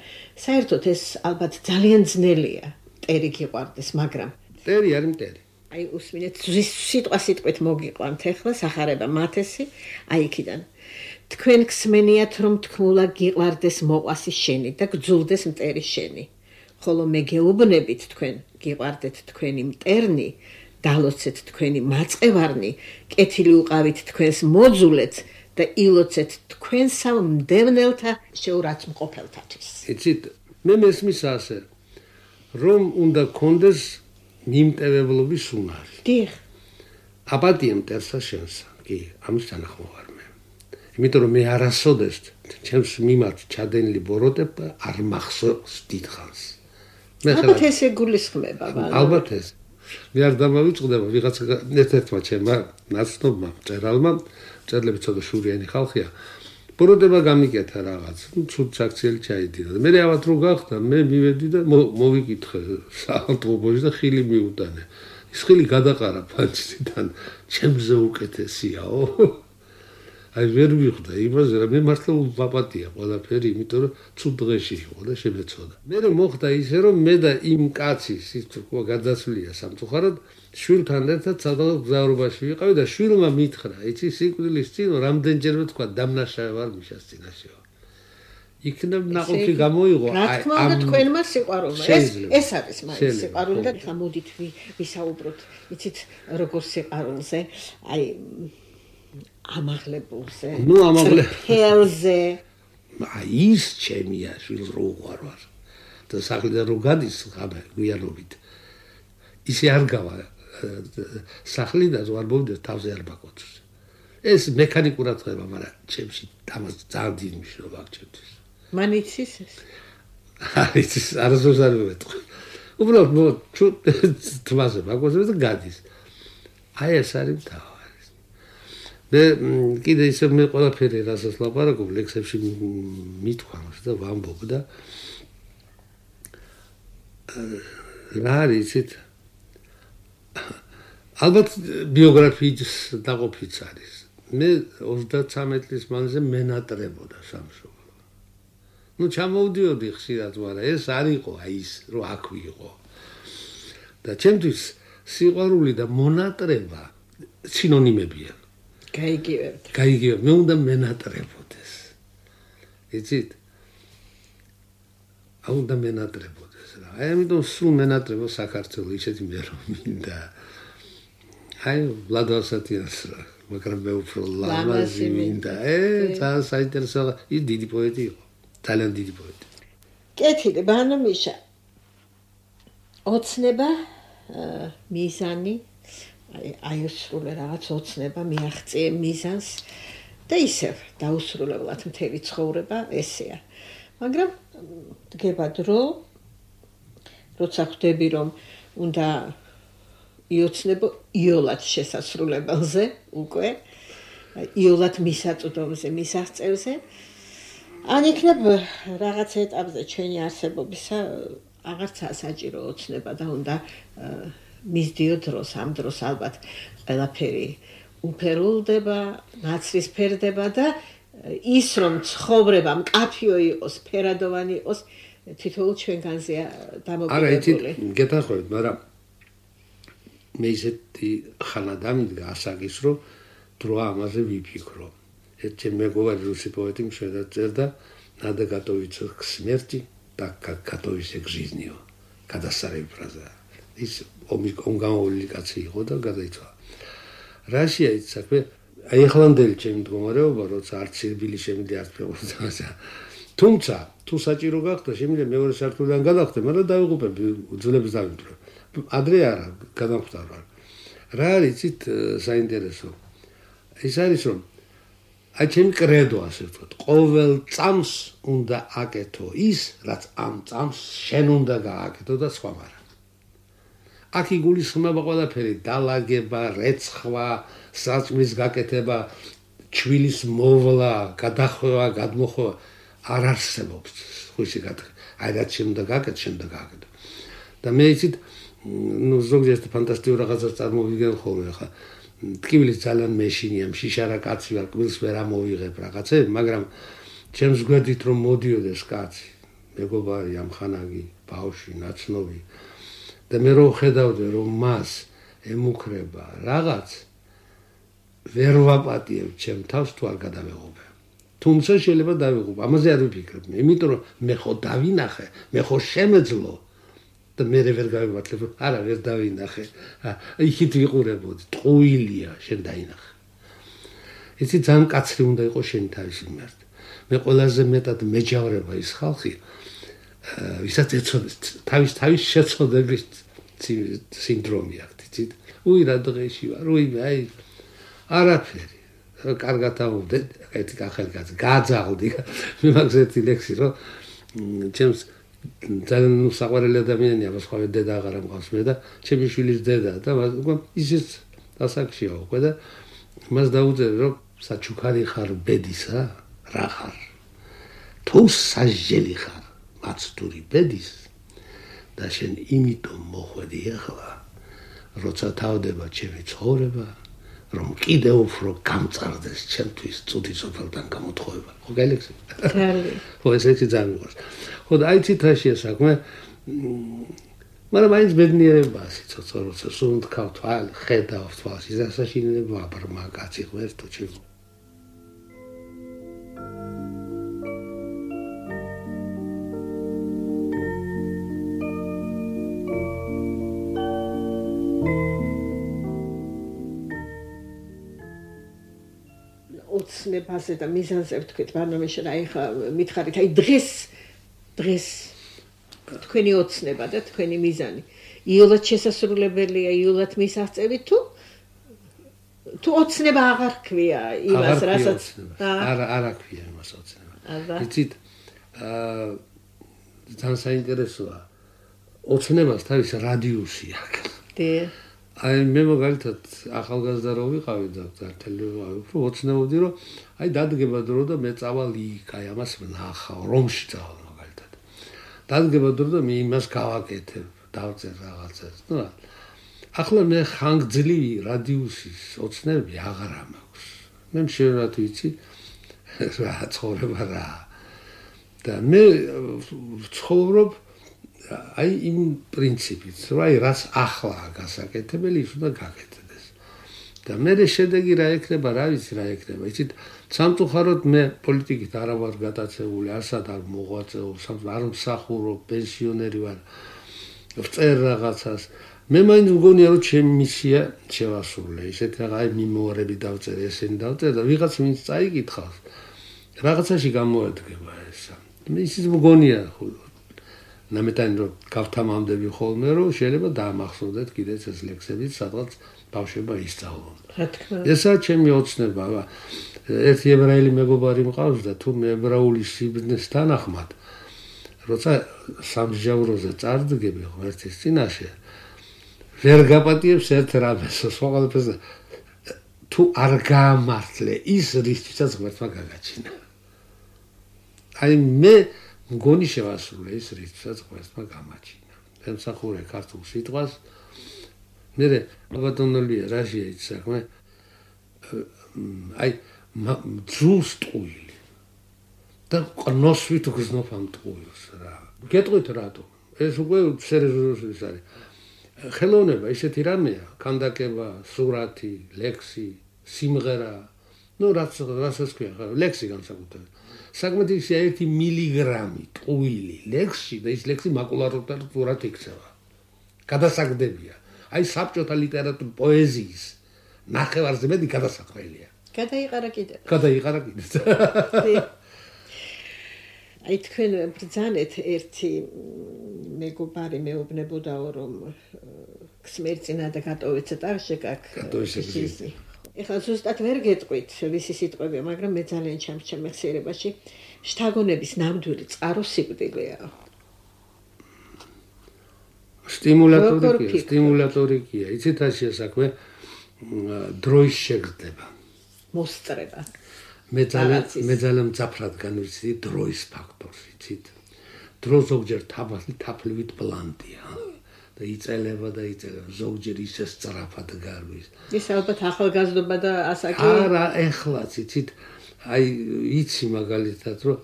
საერთოდ ეს ალბათ ძალიან ძნელია მტერი გიყვარდეს მაგრამ მტერი არის მტერი აი უსმინეთ სიტყვა სიტყვით მოგიყვანთ ახლა სახარება მათესი აი იქიდან თქვენ გსმენიათ რომ თქმულა გიყვარდეს მოყვასი შენი და გძულდეს მტერი შენი ხოლო მე გეუბნებით თქვენ გიყვარდეთ თქვენი მტერნი დალოცეთ თქვენი მაწყევარნი კეთილი უყავით თქვენს მოძულეთ და ილოცეთ თქვენსა მდევნელთა შეურაცხმყოფელთათვის იცით მე მესმის ასე რომ უნდა გქონდეს მიმტევებლობის უნარი. დიახ. აპატია მტერსა შენსა. კი, ამის თანახმოვარ მე. იმიტომ რომ მე არასოდეს ჩემს მიმართ ჩადენილი ბოროტება არ მახსოვს დიდხანს. მე ალბათ ესე გულისხმება, მაგრამ ალბათ ეს. მე არ დამავიწყდება ვიღაცა ერთ-ერთმა ჩემმა ნაცნობმა მწერალმა, მწერლები ცოტა შურიანი ხალხია. ბოროტება გამიკეთა რაღაც, ცუდ საქციელი ჩაიდინა. მე ავად რო გახდა, მე მივედი და მოვიკითხე საავტობუსში და ხილი მიუტანე. ის ხილი გადაყარა ფანჯრიდან, ჩემზე უკეთესიაო. აი ვერ ვიხვდა იმაზე, რომ მე მართლა ვაპატია ყველაფერი, იმიტომ რომ ცუდ დღეში იყო და შემეცოდა. მე მოხდა ისე, რომ მე და იმ კაცის ის თქვა გადასვლია სამწუხაროდ შვილთან ერთად სადღაც გზავრობაში ვიყავი და შვილმა მითხრა, იცი სიკვდილის წინ რამდენჯერმე თქვა დამნაშავე ვარ მიშას წინაშეო. იქნებ ნაყოფი გამოიღო აი რა თქმა უნდა თქვენმა სიყვარულმა ეს ეს არის მაინც სიყვარული და ხა მოდით ვისაუბროთ იცით როგორ სიყვარულზე აი ამაღლებულზე ნუ ამაღლე ჰელზე აი ის ჩემია შვილს რო უყარვარ და სახლიდან რო გადის ხაბე გვიანობით ისე არ გავა სახლიდან ვარ მოვიდა თავზე არ ბაკოთს ეს მექანიკურად ხდება მაგრამ ჩემში დამას ძალიან დიდი მნიშვნელობა აქვს ჩემთვის მან იცის ეს არის არასდროს არ მეთქვა უბრალოდ მო თვაზე ბაკოთს და გადის აი ეს არის თავი მე კიდე ისე მე ყველაფერი რასაც ლაპარაკობ ლექსებში მithქვამს და ვამბობ და რა არის იცით ალბათ ბიოგრაფიის დაყოფიც არის მე ოცდაცამეტ წლის მანძილზე მენატრებოდა სამშობლო ну ჩამოვდიოდი ხშირად მაგრამ ეს არ იყო აი ის რო აქ ვიყო და ჩემთვის სიყვარული და მონატრება სინონიმებია გაიგივებთ. გაიგივებთ. მე უნდა მენატრებოდეს. იცით? აუ უნდა მენატრებოდეს რა. აი ამიტომ სულ მენატრებო საქართველოს ისეთი მე რომ მინდა. აი ვლადოსატიანს რა. მაგრამ მე უფრო ლამაზი მინდა. ე ძალიან საინტერესო ის დიდი პოეტი იყო. ძალიან დიდი პოეტი. კეთილი ბანომიშა. ოცნება მიზანი აი აიუსრულე რაღაც ოცნება მიაღწიე მიზანს და ისევ დაუსრულებლად მთელი ცხოვრება ესეა მაგრამ დგება დრო როცა ხვდები რომ უნდა იოცნებო იოლად შესასრულებელზე უკვე იოლად მისაწვდომზე მისაღწევზე ან იქნებ რაღაც ეტაპზე ჩვენი არსებობისა აღარც საჭირო ოცნება და უნდა მისდიო დროს, ამ დროს ალბათ ყველაფერი უფერულდება, ნაცრისფერდება და ის რომ ცხოვრება მკაფიო იყოს, ფერადოვანი იყოს, თითოეულ ჩვენგანზე დამოკიდებული. არა, იცით, გეთანხმებით, მაგრამ მე ისეთი ხანა დამიდგა ასაკის, რომ დრო ამაზე ვიფიქრო. ერთი მეგობარი რუსი პოეტი მშვიდად წერდა Надо готовиться к смерти, так как готовишься к жизни. გადასარევი ფრაზაა. ის ომი გამოვლილი კაცი იყო და გადაიცვალა. რაშია ის საქმე? აი ახლანდელი ჩემი მდგომარეობა, როცა არც სირბილი შემიძლია არც ფეხბურთი. თუმცა, თუ საჭირო გახდა, შემიძლია მეორე სართულიდან გადავხდე, მაგრამ დავიღუპები, უძლებს დავიმტვრე. ადრე არა, გადავხვდა რა. რა არის იცით საინტერესო? ის არის რომ აი ჩემი კრედო ასე ვთქვათ, ყოველ წამს უნდა აკეთო ის, რაც ამ წამს შენ უნდა გააკეთო და სხვა არა. აქ იგულისხმება ყველაფერი, დალაგება, რეცხვა, საჭმლის გაკეთება, ჩვილის მოვლა, გადახვევა, გადმოხვევა არ არსებობს. ხუში გაკეთე. აი რაც შენ უნდა გააკეთო, შენ უნდა გააკეთო. და მე იცით, ნუ ზოგიერთ ფანტასტიკურ რაღაცას წარმოვიდგენ ხოლმე ხა. ტკივილის ძალიან მეშინია, შიშარა კაცი ვარ, კბილს ვერ ამოვიღებ რაღაცე, მაგრამ ჩემს გვერდით რომ მოდიოდეს კაცი, მეგობარი, ამხანაგი, ბავშვი, ნაცნობი და მე რო ხედავდე რომ მას ემუქრება რაღაც ვერ ვაპატიებ ჩემ თავს თუ არ გადავეღობე. თუმცა შეიძლება დავიღუპო, ამაზე არ ვიფიქრებ. იმიტომ რომ მე ხო დავინახე, მე ხო შემეძლო და მე ვერ გავიმართლებ, არა ვერ დავინახე. იქით ვიყურებოდი, ტყუილია, შენ დაინახე. იცი ძალიან კაცრი უნდა იყოს შენი თავისი მიმართ. მე ყველაზე მეტად მეჯავრება ის ხალხი, ვისაც ეცოდეს თავის თავის შეცოდების სინდრომი აქვს, იცით? უი რა დღეში ვარ, უი აი არაფერი. კარგად ავდე, ერთი ახალი კაცი, გაძაღლდი. მე მაგ ერთი ლექსი რომ ჩემს ძალიან საყვარელი ადამიანია, სხვა დედა აღარ ამყავს მე და ჩემი შვილის დედა და ისიც დასაკშია უკვე და მას დაუწერე რომ საჩუქარი ხარ ბედისა, რა ხარ? თუ სასჯელი ხარ მაცდური ბედის და შენ იმიტომ მოხვედი ახლა, როცა თავდება ჩემი ცხოვრება, რომ კიდევ უფრო გამწარდეს ჩემთვის წუთი სოფელთან გამოთხოვება. ხო გაილექსე? ხალი. ხო ეს ეცი ძალიან მიყვარს. ხო და აი ცითაშია საქმე. მაგრამ აიც ბედნიერება სიცოცხლე, როცა სულ თქვა თვალ, ხედავ თვალს, ის ასაშინელება აბრმა კაცი ღერთო ჩემ. ოცნებაზე და მიზანზე ვთქვით, ბანომეში რა ეხა მითხარით, აი დღეს დღეს თქვენი ოცნება და თქვენი მიზანი იოლად შესასრულებელია, იოლად მისაღწევი თუ თუ ოცნება აღარ ქვია იმას, რასაც არა არა ქვია იმას ოცნება. იცით, აა ძალიან საინტერესოა. ოცნებას თავის რადიუსი აქვს. დე აი მე მაგალითად ახალგაზრდა რო ვიყავი და თელი უფრო ოცნებობდი რომ აი დადგება დრო და მე წავალ იქ, აი ამას ვნახავ, რომში წავალ მაგალითად. დადგება დრო და მე იმას გავაკეთებ, დავწერ რაღაცას. ნუ ახლა მე ხანგრძლივი რადიუსის ოცნები აღარ მაქვს. მე მშვენივრად ვიცი რა ცხოვრება რა. და მე ცხოვრობ აი იმ პრინციპით, რომ აი რაც ახლა გასაკეთებელი, ის უნდა გაკეთდეს. და მე შედეგი რა ექნება, რა ვიცი რა ექნება. იცით, სამწუხაროდ მე პოლიტიკით არ ვარ გატაცებული, არასად არ მოღვაწეობ, არ მსახურობ, პენსიონერი ვარ. ვწერ რაღაცას. მე მაინც მგონია რომ ჩემი მისია შევასრულე. ისეთ რა აი მიმოარები დავწერე, ესენი დავწერე და ვიღაც ვინც წაიკითხავს, რაღაცაში გამოადგება ესა. მე ისიც მგონია ნამეტანი რომ გავთამამდები ხოლმე რომ შეიძლება დაამახსოვრდეთ კიდეც ეს ლექსებიც სადღაც ბავშვობა ისწავლონ. რა თქმა უნდა. ესაა ჩემი ოცნება. ერთი ებრაელი მეგობარი მყავს და თუ მე ებრაული სიბრძნის თანახმად როცა სამსჯავროზე წარდგები ღმერთის წინაშე ვერ გაპატიებს ერთ რამეს, სხვა ყველაფერს თუ არ გაამართლე ის რისთვისაც ღმერთმა გაგაჩინა. აი მე მგონი შევასრულე ის რითსაც ღმერთმა გამაჩინა. ემსახურე ქართულ სიტყვას, მერე ბატონოლია რაშია ის საქმე აი ძულს ტყუილი და ყნოსვით გზნოფ ამ ტყუილს რა გეტყვით რატო ეს უკვე სერიოზული არის ხელოვნება ისეთი რამეა კანდაკება სურათი ლექსი სიმღერა ნუ რაც რასაც ქვია ლექსი განსაკუთრებით საკმაოდ ისე ერთი მილიგრამი ტყუილი ლექსში და ის ლექსი მაკულატურად იქცევა გადასაგდებია აი საბჭოთა ლიტერატურის პოეზიის ნახევარზე მეტი გადასაყრელია გადაიყარა კიდე გადაიყარა კიდე აი თქვენ ბრძანეთ ერთი მეგობარი მეუბნებოდაო რომ ქსმერწინა და გატოვეცეთ არშე კაკ ეხლა ზუსტად ვერ გეტყვით ვისი სიტყვები მაგრამ მე ძალიან ჩამჩემ მეხსიერებაში შთაგონების ნამდვილი წყარო სიკვდილეა სტიმულატორი სტიმულატორი კია იცით რაშია საქმე დროის შეგრძნება მოსწრება მე ძალიან მე ძალიან მძაფრად განვიცდი დროის ფაქტორს იცით დრო ზოგჯერ თაბალი თაფლივით ბლანტია და იწელება და იწელება ზოგჯერ ისე სწრაფად გარვის ის ალბათ ახალგაზრდობა და ასაკი არა ეხლაც იცით აი იცი მაგალითად რომ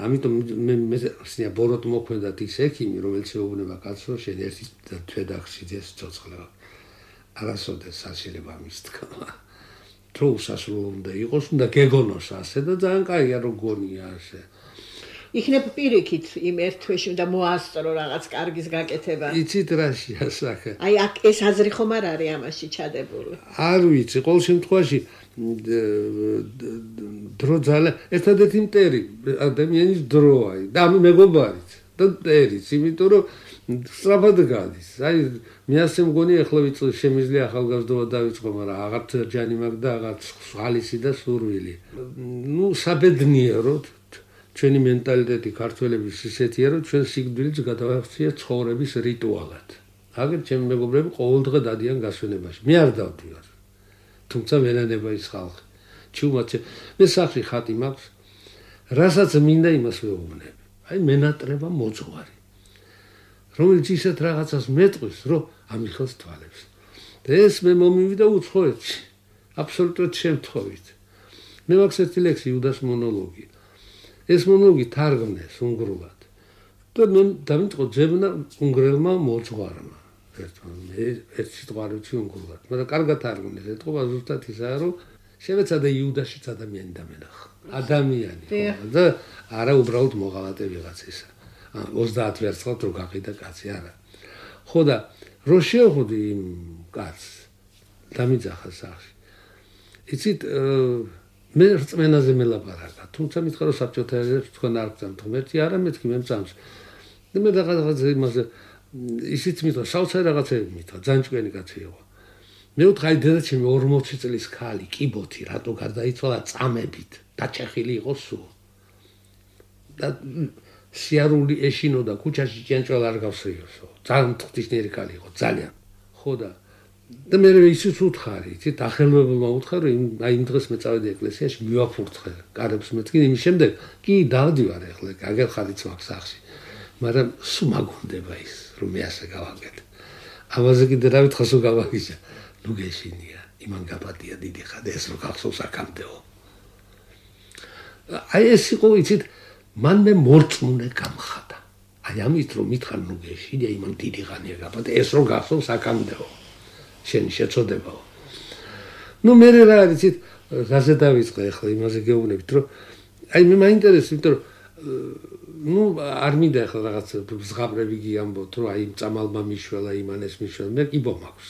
ამიტომ მე მე სია ბოროტ მოქმედად ის ექიმი რომელიც ეუბნება კაცს რომ შენ ერთი თვედახში ეს ცოცხლა არასოდეს შეიძლება მის თქმა თუ სასრულო უნდა იყოს უნდა გეგონოს ასე და ძალიან კაია რომ გონია ასე იქნებ პირიქით იმ ერთ თვეში უნდა მოასწრო რაღაც კარგის გაკეთება იცით რაშია სახე აი აქ ეს აზრი ხომ არ არის ამაში ჩადებული არ ვიცი ყოველ შემთხვევაში დრო ძალიან ერთადერთი მტერი ადამიანის დროა და მეგობარიც და მტერიც იმიტომ რომ სწრაფად გადის აი მე ასე მგონი ახლა ვიწევ შემიძლია ახალგაზრდობა დავიწყო მაგრამ აღარც ჯანი მაქვს და აღარც ხალისი და სურვილი ნუ საბედნიეროდ ჩვენი მენტალიტეტი ქართველების ისეთია რომ ჩვენ სიკვდილს გადავახციეთ ცხოვრების რიტუალად აგერ ჩემი მეგობრები ყოველდღე დადიან გასვენებაში მე არ დავდივარ თუმცა ვენანება ის ხალხი ჩუმაც მე სახში ხატი მაქვს რასაც მინდა იმას ვეუბნები აი მენატრება მოძღვარი რომელიც ისეთ რაღაცას მეტყვის რომ ამიხელს თვალებს და ეს მე მომივიდა უცხოეთში აბსოლუტურად შემთხვევით მე მაქვს ერთი ლექსი იუდას მონოლოგი ეს მონოლოგი თარგმნეს უნგრულად და მე დავიწყო ძებნა უნგრელმა მოძღვარმა ერთმა მე ერთ სიტყვარით უნგრულად მაგრამ კარგად თარგმნეს ეთყობა ზუსტად ისაა რომ შევეცადე იუდაშიც ადამიანი დამენახა ადამიანი და არა უბრალოდ მოღალატე ვიღაცისა ოცდაათ ვერცხლად რო გაყიდა კაცი არა ხო და რო შევხვდი იმ კაცს დამიძახა სახში იცით მე რწმენაზე მელაპარაკა თუმცა მითხრა რომ საბჭოთა ერებს თქვენ არ გწამთ ღმერთი არა მეთქი მე მწამს და მე რაღაცა იმაზე ისიც მითხრა საოცარი რაღაცები მითხრა ძალიან ჭკვიანი კაცი იყო მე ვთქვა აი დედაჩემი ორმოცი წლის ქალი კიბოთი რატო გარდაიცვალა წამებით დაჭეხილი იყო სულ და სიარული ეშინოდა ქუჩაში ჭიანჭველა არ გავსრიოსო ძალიან ღვთისმიერი ქალი იყო ძალიან ხო და და მე ისიც უთხარი იცით ახელმებელმა უთხარი რომ აი იმ დღეს მე წავედი ეკლესიაში მივაფურთხე კარებს მეთქი იმის შემდეგ კი დავდივარ ახლა აგერ ხარიც მაქვს სახში მაგრამ სულ მაგონდება ის რომ მე ასე გავაკეთე ამაზე კიდე რა ვითხრა სულ გავაგიჟა ნუ გეშინია იმან გაპატია დიდი ხადა ეს რო გახსოვს აქამდეო აი ეს იყო იცით მან მე მორწმუნე გამხადა აი ამით რომ მითხარ ნუ გეშინია იმან დიდი ხანია გაპატია ეს რო გახსოვს აქამდეო შენი შეწოდებაო ნუ მე რა არიცით რაზე დავიწყე ახლა იმაზე გეუბნებით რომ აი მე მაინტერესებს იმიტომ რომ ნუ არ მინდა ახლა რაღაც ზღაპრები გიამბოთ რომ აი წამალმა მიშველა იმან ეს მიშველა მე კიბო მაქვს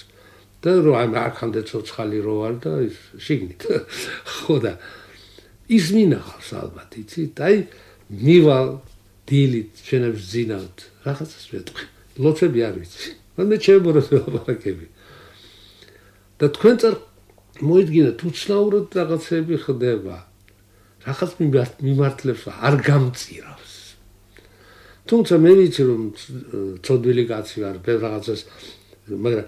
და რომ აი აქამდე ცოცხალი რო ვარ და ის შიგნით ხო და ის მინახავს ალბათ იცით აი მივალ დილით შენებს ძინავთ რაღაცას ვეტყვი ლოცვები არ ვიცი მაგრამ მე ჩემბოროს ვლაპარაკები და თქვენ წარ მოიდგინეთ უცნაურად რაღაცები ხდება რაღაც მიმართლებს არ გამწირავს თუმცა მე ვიცი რომ ცოდვილი კაცი ვარ ბევრ რაღაცას მაგრამ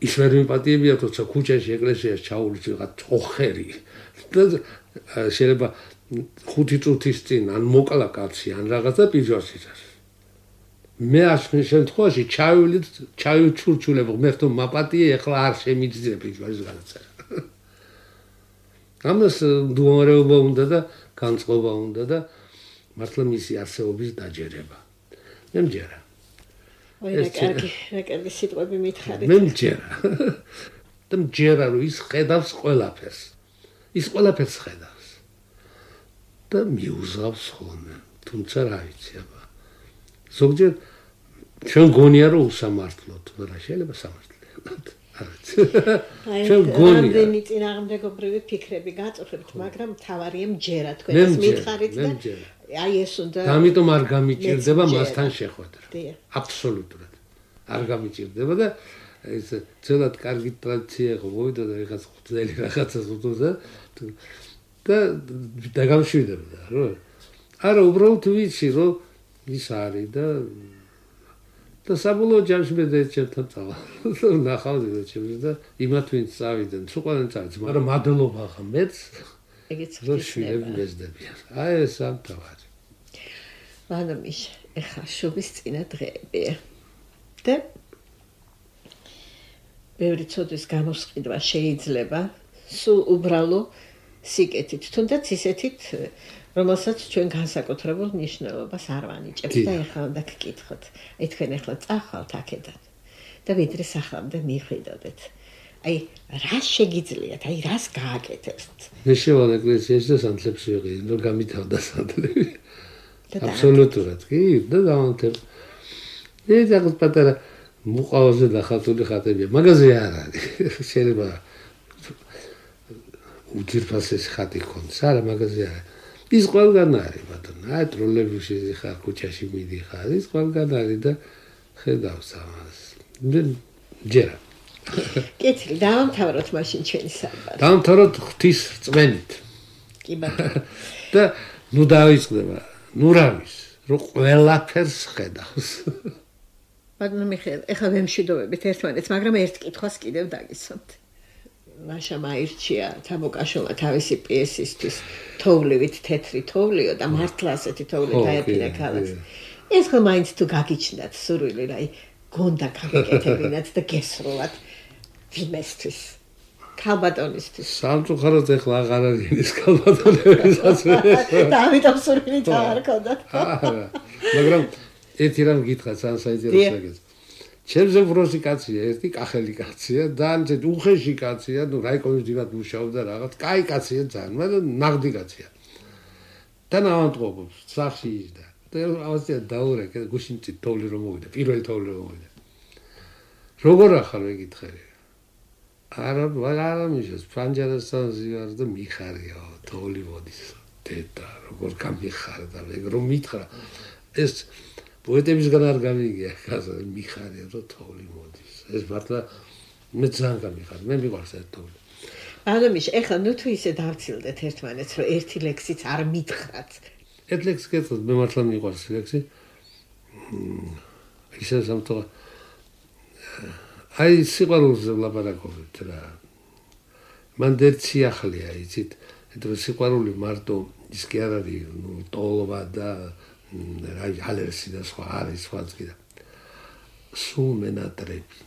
ის ვერ მიპატიებია თორსა ქუჩაში ეკლესიაში ჩაულის რაღაც ოხერი და შეიძლება ხუთი წუთის წინ ან მოკლა კაცი ან რაღაცა პიჟოს იცას მე ასმის შემთხვევაში ჩავივლით, ჩავიჩურჩულებ ღმერთო მაპატიე, ეხლა არ შემიძლია ის განაწერა. ამას მდგომარეობა უნდა და განწყობა უნდა და მართლა მისი არსებობის დაჯერება. მე მჯერა. ой, რა კარგი, რა კარგი სიტყვები მითხარით. მე მჯერა. და მჯერა რომ ის ხედავს ყველაფერს. ის ყველაფერს ხედავს. და მიუზავს ხოლმე. თუმცა რა ვიცი, აბა. ზოგჯერ ჩვენ გონია რომ უსამართლოთ, მაგრამ შეიძლება სამართლიანად. აი, რამდენი წინააღმდეგობრივი ფიქრები გაწუხებთ, მაგრამ თავარია მჯერა თქვენს მითხარით და აი ეს უნდა და ამიტომ არ გამიჭირდება მასთან შეხვედრა. აბსოლუტურად. არ გამიჭირდება და ეს ძველად კარგი ტრადიცია იყო, მოვიდა და ეხაც ხუთელი რაღაცას უთუდა და დაგამშვიდებდა, რა. არა, უბრალოდ ვიცი, რომ ის არის და და საბოლოო ჯამში მე დაეჭერთან წავა. ნახავდი და ჩემს და იმათ ვინც წავიდნენ, სუყვარენ წავიდნენ, მაგრამ მადლობა ხა მეც. ეგეც ხდება. მეზდებიან. აი ეს ამ თავარი. მანამიშ, ეხა შობის წინა დღეებია. და ბევრი ცოდვის გამოსყიდვა შეიძლება სულ უბრალო სიკეთით, თუნდაც ისეთით, რომელსაც ჩვენ განსაკუთრებულ მნიშვნელობას არ ვანიჭებთ და ეხლა უნდა გკითხოთ. აი თქვენ ეხლა წახვალთ აქედან და ვიდრე სახლამდე მიხვიდოდეთ. აი რა შეგიძლიათ, აი რას გააკეთებთ? მე შევალ ეკლესიაში და სანთლებს ვიყიდი, რომ გამითავდა სანთლები. აბსოლუტურად, კი, და დავანთებ. ეს რაღაც პატარა მუყავაზე დახატული ხატებია, მაგაზე არ არის. შეიძლება უძირფასეს ხატი ქონდეს, არა მაგაზე არა. ის ყველგან არის, ბატონო. აი ტროლეიბუსში ხარ, ქუჩაში მიდიხარ, ის ყველგან არის და ხედავს ამას. მე ჯერა. კეთილი, დავამთავროთ მაშინ ჩვენი საუბარი. დავამთავროთ ღვთის რწმენით. კი ბატონო. და ნუ დავიწყდება, ნუ რა ვის, რომ ყველაფერს ხედავს. ბატონო მიხეილ, ეხლა ვემშვიდობებით ერთმანეთს, მაგრამ ერთ კითხვას კიდევ დაგისვამთ. მაშამ აირჩია თამოკაშომა თავისი პიესისთვის თოვლივით თეთრი თოვლიო და მართლა ასეთი თოვლი დაეფინა ქალაქს. ეს ხომ მაინც თუ გაგიჩნდათ სურვილი, რა, გონდა გავიკეთებინათ და გესროლათ ვიმესთვის. ქალბატონისთვის. სამწუხაროდ ეხლა აღარ არის ის ქალბატონებისაც. და ამიტომ სურვილი არ ქონდათ. არა, მაგრამ ერთი რამ გითხრათ, სან საინტერესო ეგეც. ჩემზე ვროსი კაცია, ერთი კახელი კაცია, ძალიან უხეში კაცია, ნუ რაიკოვის დივად მუშაობდა რაღაც, კაი კაცია ძალიან, მაგრამ ნაღდი კაცია. და ნავანტყოფობს, სახში ისდა. და ავასია დაურეკე, გუშინწი თოვლი რომ მოვიდა, პირველი თოვლი რომ მოვიდა. როგორ ახალ მეკითხები? არა, არა მიშოს, ფანჯარასთან ზივარ და მიხარიო, თოვლი მოდის. დედა, როგორ გამიხარდა, ეგ რომ მითხრა. ეს პოეტებისგან არ გამიგია, ხაზა მიხარია რომ თოვლი მოდის. ეს მართლა მე ძალიან გამიხარ, მე მიყვარს ეს თოვლი. ანამიშ, ეხლა ნუ თუ ისე დავცილდეთ ერთმანეთს, რომ ერთი ლექსიც არ მითხრათ. ერთ ლექსს გეტყვით, მე მართლა მიყვარს ლექსი. ისე სამთო აი სიყვარულზე ვლაპარაკობთ რა. მან დერცი ახლია, იცით, ეთრო სიყვარული მარტო ის კი არ არის, ნუ ტოლობა და აი ალერსი და სხვა არის სხვა წიდა. სულ მენატრები.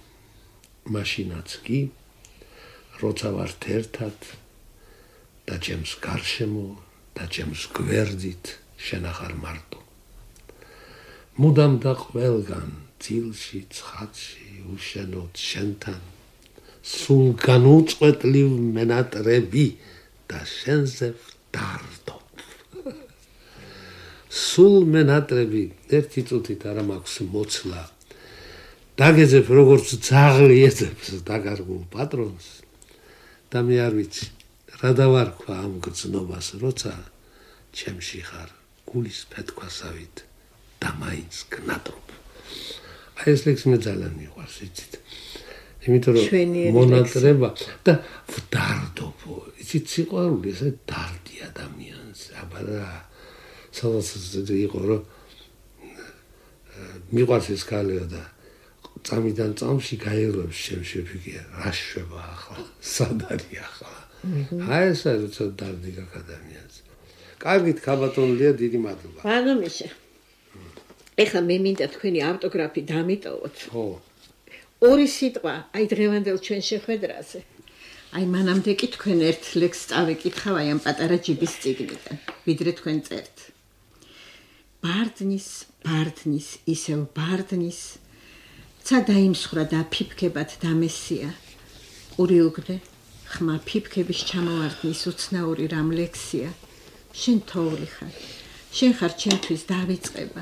მაშინაც კი როცა ვართ ერთად და ჩემს გარშემო და ჩემს გვერდით შენახარ მარტო. მუდამ და ყველგან ძილში, ცხადში, უშენოდ შენთან სულ განუწყვეტლივ მენატრები და შენზე ვდარდო. სულ მენატრები ერთი წუთით არ მაქვს მოცლა. დაგეძებ როგორც ძაღლი ეძებს დაგარგულ პატრონს და მე არ ვიცი რა დავარქვა ამ გრძნობას, როცა ჩემში ხარ გულის ფეთქვასავით და მაინც გნატრობ. აი ეს ლექსი მე ძალიან მიყვარს, იცით. იმიტომ რომ მონატრება და ვდარდობო, იცით, სიყვარული ესე დარდი ადამიანს, აბა რა სადაც იყო რომ მიყვარს ეს ქალიო და წამიდან წამში გაეროს შემშეფიგია, რა შვება ახლა, სად არის ახლა. აი ეს არის ცოტა დარდი გაკ ადამიანს. კარგით, ქალბატონლია, დიდი მადლობა. ანუ მიშა. ეხლა მე მინდა თქვენი ავტოგრაფი დამიტოვოთ. ხო. ორი სიტყვა, აი დღევანდელ ჩვენ შეხვედრაზე. აი მანამდე კი თქვენ ერთ ლექსს წავიკითხავ აი ამ პატარა ჯიბის წიგნიდან, ვიდრე თქვენ წერთ. ბარდნის, ბარდნის, ისევ ბარდნის, ცა დაიმსხრა და ფიფქებად დამესია. ყური უგდე, ხმა ფიფქების ჩამოვარდნის უცნაური რამ ლექსია. შენ თოვლი ხარ, შენ ხარ ჩემთვის დავიწყება.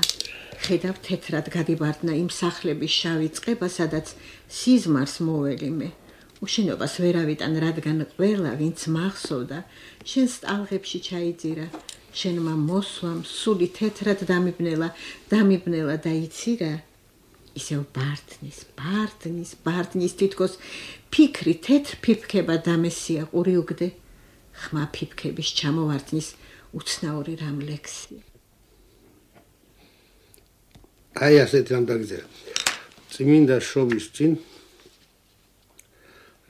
ხედავ თეთრად გადიბარდნა იმ სახლების შავი წყება, სადაც სიზმარს მოველი მე. უშენობას ვერავიდან, რადგან ყველა, ვინც მახსოვდა, შენს ტალღებში ჩაიძირა. შენმა მოსვამ სული თეთრად დამიბნელა, დამიბნელა და იცირა. ისევ ბარდნის, ბარდნის, ბარდნის თითქოს ფიქრი თეთრ ფიფქება დამესია. ყური უგდე, ხმა ფიფქების ჩამოვარდნის უცნაური რამ ლექსია. აი ასეთ რამ დაგიწერა. წმინდა შობის წინ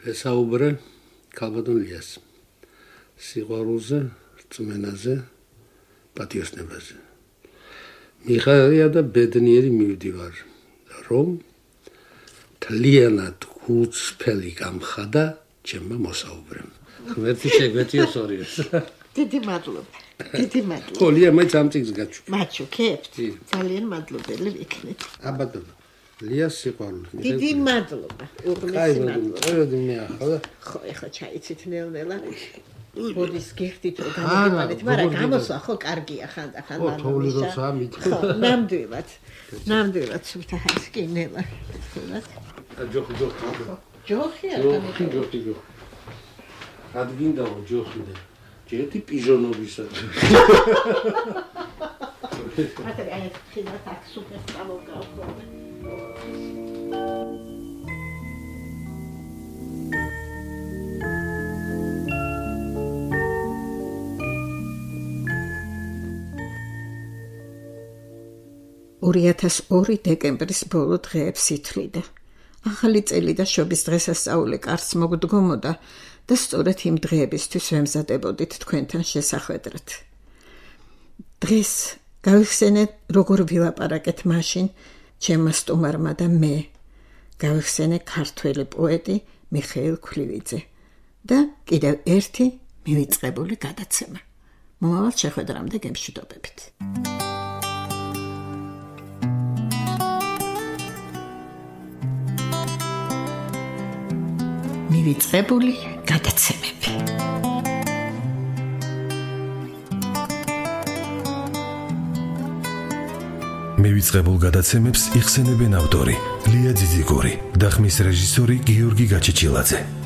ესაუბრე ქალბატონ ლიას. სიყვარულზე, რწმენაზე, პატიოსნებაზე. მიხარია და ბედნიერი მივდივარ, რომ თლიანად გულწრფელი გამხადა ჩემმა მოსაუბრემ. ღმერთი შეგვეთიოს ორიოს. დიდი მადლობა. დიდი მადლობა. ხო, ლია მაინც ამ წიგნს გაჩვენე. მაჩუქებთ. ძალიან მადლობელი ვიქნით. აბადო. ლიას სიყვარული. დიდი მადლობა. უღმესი მადლობა. წევედი მე ახლა. ხო, ეხლა ჩაიცით ნელ-ნელა. ბოდის გიხდით რომ გამიგებარეთ, მაგრამ გამოსვა ხო კარგია ხანდახან მანამდე. ხო, თოვლი როცა მითხრა. ხო, ნამდვილად. ნამდვილად სულთა ჰასკი ნელა. ჯოხი ჯოხი. ჯოხია ჯოხი ჯოხი ჯოხი. ადგინდა ჯოხი და ჯეთი პიჟონობისა. ატე აი ხინა так სუპერ გამოგავ. ორი ათას ორი დეკემბრის ბოლო დღეებს ითვლიდა. ახალი წელი და შობის დღესასწაული კარს მოგდგომოდა და სწორედ იმ დღეებისთვის ვემზადებოდით თქვენთან შესახვედრად. დღეს გავიხსენეთ, როგორ ვილაპარაკეთ მაშინ ჩემმა სტუმარმა და მე. გავიხსენე ქართველი პოეტი მიხეილ ქვლივიძე და კიდევ ერთი მივიწყებული გადაცემა. მომავალ შეხვედრამდე გემშვიდობებით. მივიწყებული გადაცემები. მივიწყებულ გადაცემებს იხსენებენ ავტორი ლია ძიძიგური და ხმის რეჟისორი გიორგი გაჩეჩილაძე.